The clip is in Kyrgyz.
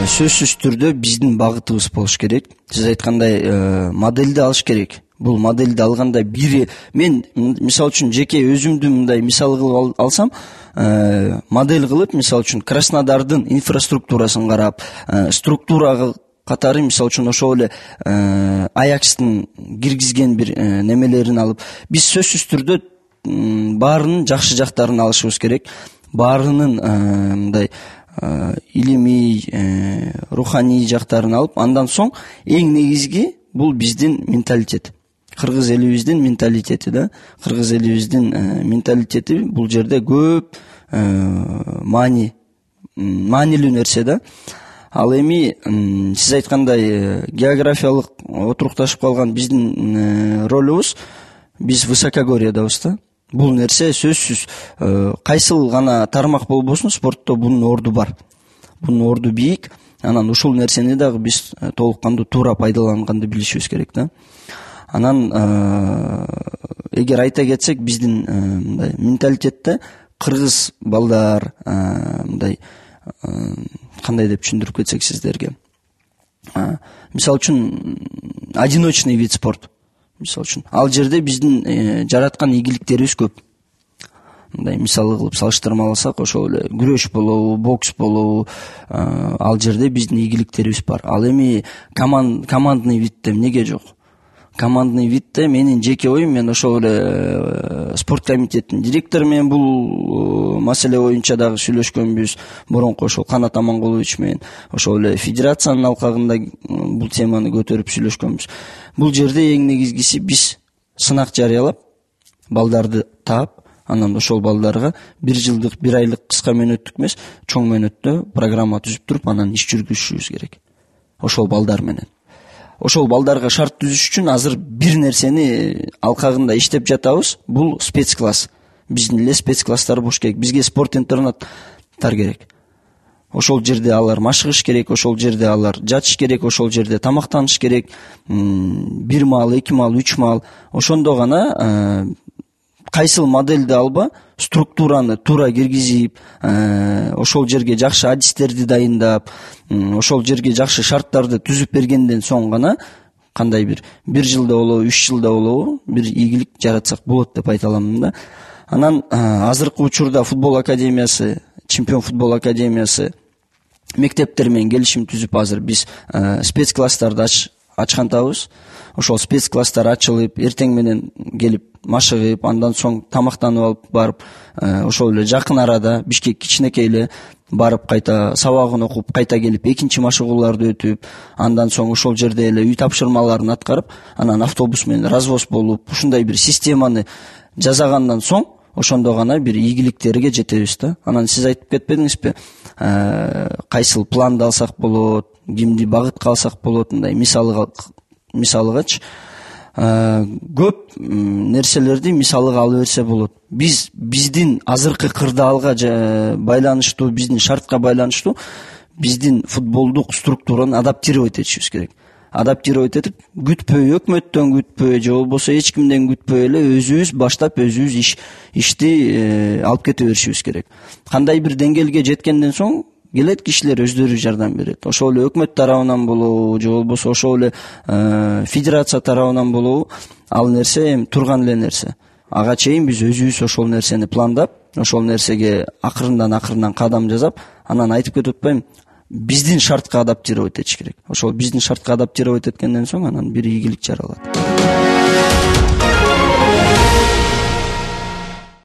сөзсүз түрдө биздин багытыбыз болуш керек. Сиз айткандай модельди алыш керек. Бул модельди алганда мен мисалы үчүн жеке өзүмдү мындай мисал кылып алсам, модель кылып, мисалы үчүн Краснодардын инфраструктурасын карап, структурага катары мисалы үчүн ошол эле Аякстын киргизген бир немелерин алып, биз сөзсүз түрдө баарынын жакшы жактарын алышыбыз керек. Баарынын мындай илимий, руханий жактарын алып, андан соң эң негизги бул биздин менталитет. Кыргыз элибиздин менталитети да. Кыргыз элибиздин менталитети бул жерде көп маанилүү нерсе да. Ал эми сиз айткандай географиялык отурукташып калган биздин ролубуз, биз высокогорьедабыз да. Бул нерсе сөзсүз кайсыл гана тармак болбосун, спортто бунун орду бар. Бунун орду бийик. Анан ушул нерсени дагы биз толук кандуу туура пайдаланганды билишибиз керек да. Анан эгер айта кетсек, биздин мындай менталитетте кыргыз балдар мындай кандай деп түшүндүрүп кетсек сиздерге. Мисалы үчүн одиночный вид спорт. Мисалы үчүн ал жерде биздин жараткан ийгиликтерибиз көп. Мындай мисал кылып салыштырмаласак, ошол эле күрөш болобу, бокс болобу, ал жерде биздин ийгиликтерибиз бар. Ал эми командный видде эмнеге жок? Командный видде менин жеке оюм, мен ошол эле спорт комитетинин директору менен бул маселе боюнча дагы сүйлөшкөнбүз. Мурунку ошол Канат Амангулович менен ошол эле федерациянын алкагында бул теманы көтөрүп сүйлөшкөнбүз. Бул жерде эң негизгиси биз сынак жарыялап, балдарды таап, анан ошол балдарга 1 жылдык, 1 айлык кыска мөөнөттүк эмес, чоң мөөнөттө программа түзүп туруп, анан иш жүргүзүшүбүз керек. Ошол балдар менен. Ошол балдарга шарт түзүш үчүн азыр бир нерсени алкагында иштеп жатабыз. Бул спецкласс. Биздин эле спецкласстар болуш керек. Бизге спорт интернаттар керек. Ошол жерде алар машыгыш керек, ошол жерде алар жатыш керек, ошол жерде тамактаныш керек. 1 маал, 2 маал, 3 маал. Ошондо гана кайсыл модельди алба, структураны туура киргизип, ошол жерге жакшы адистерди дайындап, ошол жерге жакшы шарттарды түзүп бергенден соң гана кандай бир жылда болобу, 3 жылда болобу бир ийгилик жаратсак болот деп айта аламын да. Анан азыркы учурда футбол академиясы, Чемпион футбол академиясы мектептер менен келишим түзүп, азыр биз спецкласстарды ачкантабыз. Ошол спецкласстар ачылып, эртең менен келип машыгып, андан соң тамактанып алып барып, ошол эле жакын арада Бишкек кичинекей эле барып, кайта сабагын окуп, кайта келип экинчи машыгууларды өтүп, андан соң ошол жерде эле үй тапшырмаларын аткарып, анан автобус менен развоз болуп, ушундай бир системаны жасагандан соң ошондо гана бир ийгиликтерге жетебиз да. Анан сиз айтып кетпедиңизби, кайсыл планды алсак болот, кимди багытка алсак болот, мындай мисалыгачы көп нерселерди мисалыга алып берсе болот. Биздин азыркы кырдаалга байланыштуу, биздин шартка байланыштуу биздин футболдук структураны адаптировать этишибиз керек. Адаптировать этип, күтпөй, өкмөттөн күтпөй, же болбосо эч кимден күтпөй эле өзүбүз баштап, өзүбүз ишти алып кете беришибиз керек. Кандай бир деңгээлге жеткенден соң келет кишилер өздөрү жардам берет. Ошол эле өкмөт тарабынан болобу, же болбосо ошол эле федерация тарабынан болобу, ал нерсе эми турган эле нерсе. Ага чейин биз өзүбүз ошол нерсени пландап, ошол нерсеге акырындан кадам жасап, анан айтып кетип атпайм, биздин шартка адаптировать этиш керек. Ошол биздин шартка адаптировать эткенден соң анан бир ийгилик жаралат.